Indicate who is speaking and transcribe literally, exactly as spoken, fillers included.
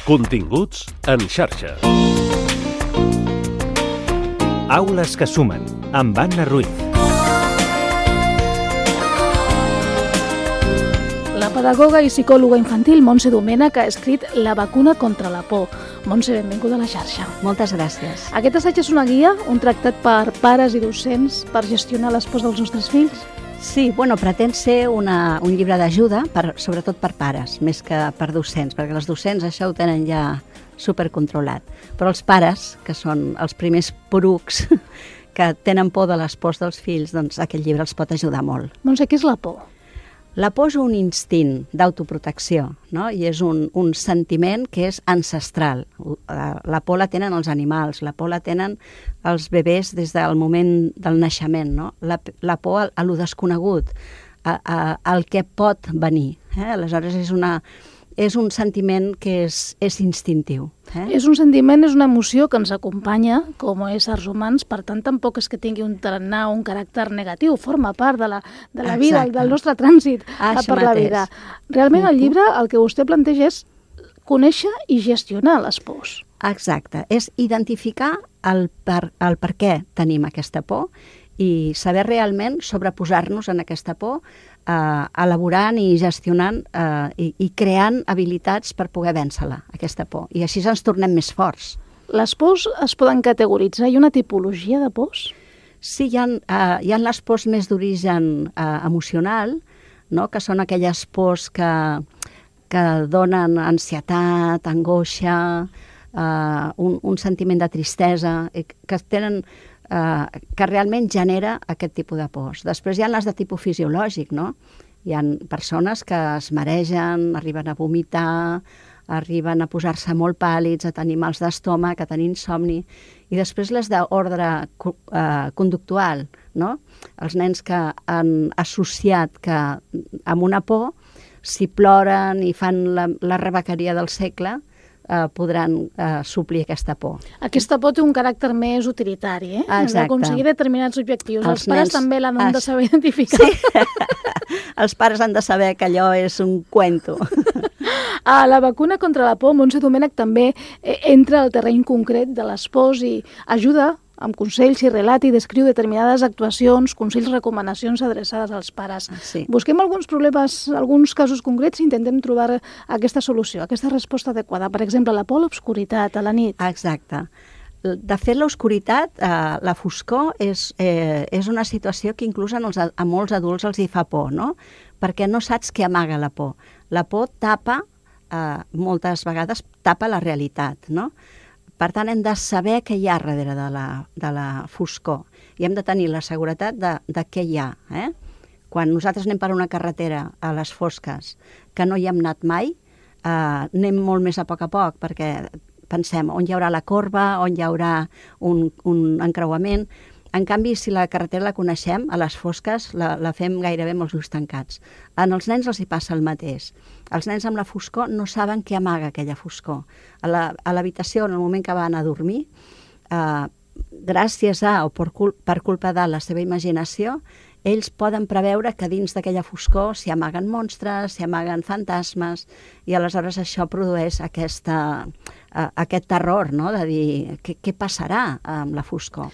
Speaker 1: Continguts en xarxa.
Speaker 2: Aules que sumen, amb Anna Ruiz.
Speaker 3: La pedagoga i psicòloga infantil Montse Domènech ha escrit La vacuna contra la por. Montse, benvinguda a la xarxa.
Speaker 4: Moltes gràcies.
Speaker 3: Aquest assaig és una guia, un tractat per pares i docents per gestionar les pors dels nostres fills?
Speaker 4: Sí, bueno, pretén ser una, un llibre d'ajuda, per, sobretot per pares, més que per docents, perquè els docents això ho tenen ja supercontrolat. Però els pares, que són els primers porucs que tenen por de les pors dels fills, doncs aquest llibre els pot ajudar molt.
Speaker 3: Montse, què és la por?
Speaker 4: La por és un instint d'autoprotecció, no? I és un, un sentiment que és ancestral. La por la tenen els animals, la por la tenen els bebès des del moment del naixement, no? La, la por a, a lo desconegut, a, a, al que pot venir. Eh? Aleshores és, una, és un sentiment que és, és instintiu. Eh?
Speaker 3: És un sentiment, és una emoció que ens acompanya com a éssers humans, per tant tampoc és que tingui un tarannà o un caràcter negatiu, forma part de la, de la vida, del nostre trànsit
Speaker 4: ah,
Speaker 3: per la vida. Realment el llibre el que vostè planteja és conèixer i gestionar les pors.
Speaker 4: Exacte, és identificar el per, el per què tenim aquesta por i saber realment sobreposar-nos en aquesta por, eh, elaborant i gestionant eh, i, i creant habilitats per poder vèncer-la, aquesta por. I així ens tornem més forts.
Speaker 3: Les pors es poden categoritzar? Hi ha una tipologia de pors?
Speaker 4: Sí, hi ha, eh, hi ha les pors més d'origen eh, emocional, no? Que són aquelles pors que, que donen ansietat, angoixa, eh, un, un sentiment de tristesa, que tenen... Uh, que realment genera aquest tipus de pors. Després hi ha les de tipus fisiològic, no? Hi ha persones que es maregen, arriben a vomitar, arriben a posar-se molt pàl·lids, a tenir mals d'estómac, a tenir insomni, i després les d'ordre uh, conductual, no? Els nens que han associat que amb una por, si ploren i fan la, la rebequeria del segle, Uh, podran uh, suplir aquesta por.
Speaker 3: Aquesta por té un caràcter més utilitari, eh?
Speaker 4: Exacte.
Speaker 3: D'aconseguir determinats objectius. Els, els pares
Speaker 4: nens...
Speaker 3: també l'han es... de saber identificar.
Speaker 4: Sí. Els pares han de saber que allò és un cuento.
Speaker 3: Ah, la vacuna contra la por, Montse Domènech també eh, entra al terreny concret de les pors i ajuda amb consells i relat i descriu determinades actuacions, consells, recomanacions adreçades als pares.
Speaker 4: Sí.
Speaker 3: Busquem alguns problemes, alguns casos concrets i intentem trobar aquesta solució, aquesta resposta adequada. Per exemple, la por a l'obscuritat, a la nit.
Speaker 4: Exacte. De fet, l'obscuritat, eh, la foscor, és, eh, és una situació que inclús en els, a molts adults els hi fa por, no? Perquè no saps què amaga la por. La por tapa, eh, moltes vegades, tapa la realitat, no? Per tant, hem de saber què hi ha darrere de la, de la foscor i hem de tenir la seguretat de, de què hi ha. Eh? Quan nosaltres anem per una carretera a les fosques que no hi hem anat mai, eh, anem molt més a poc a poc perquè pensem on hi haurà la corba, on hi haurà un, un encreuament. En canvi, si la carretera la coneixem, a les fosques la, la fem gairebé amb els ulls tancats. En els nens els hi passa el mateix. Els nens amb la foscor no saben què amaga aquella foscor. A l'habitació, en el moment que van a dormir, eh, gràcies a o per, cul per culpa de la seva imaginació, ells poden preveure que dins d'aquella foscor s'hi amaguen monstres, s'hi amaguen fantasmes, i aleshores això produeix aquesta, uh, aquest terror, no? De dir què, què passarà amb la foscor.